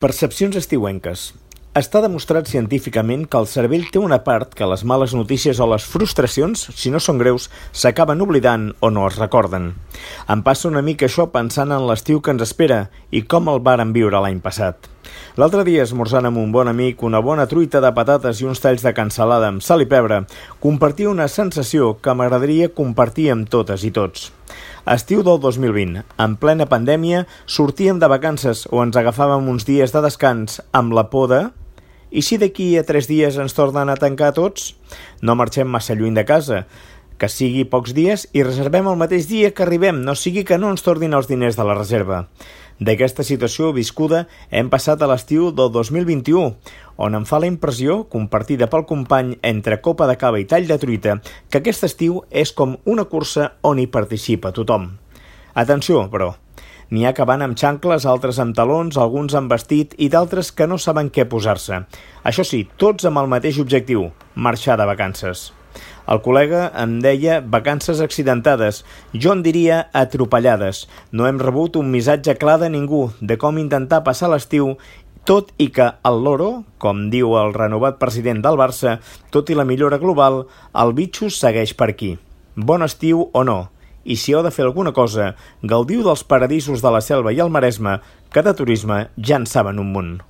Percepcions estiuenques. Està demostrat científicament que el cervell té una part que les males notícies o les frustracions, si no són greus, s'acaben oblidant o no es recorden. Em passa una mica això pensant en l'estiu que ens espera i com el vàrem viure l'any passat. L'altre dia, esmorzant amb un bon amic, una bona truita de patates i uns talls de cansalada amb sal i pebre, compartia una sensació que m'agradaria compartir amb totes i tots. Estiu del 2020, en plena pandèmia, sortíem de vacances o ens agafàvem uns dies de descans amb la por de... I si d'aquí a 3 dies ens tornen a tancar tots? No marxem massa lluny de casa, que sigui pocs dies i reservem el mateix dia que arribem, no sigui que no ens tornin els diners de la reserva. D'aquesta situació viscuda hem passat a l'estiu del 2021, on em fa la impressió, compartida pel company entre copa de cava i tall de truita, que aquest estiu és com una cursa on hi participa tothom. Atenció, però, n'hi ha que van amb xancles, altres amb talons, alguns amb vestit i d'altres que no saben què posar-se. Això sí, tots amb el mateix objectiu, marxar de vacances. El col·lega em deia vacances accidentades, jo en diria atropellades. No hem rebut un missatge clar de ningú de com intentar passar l'estiu, tot i que el loro, com diu el renovat president del Barça, tot i la millora global, el bitxo segueix per aquí. Bon estiu o no? I si heu de fer alguna cosa, gaudiu dels paradisos de la Selva i el Maresme, que de turisme ja en saben un munt.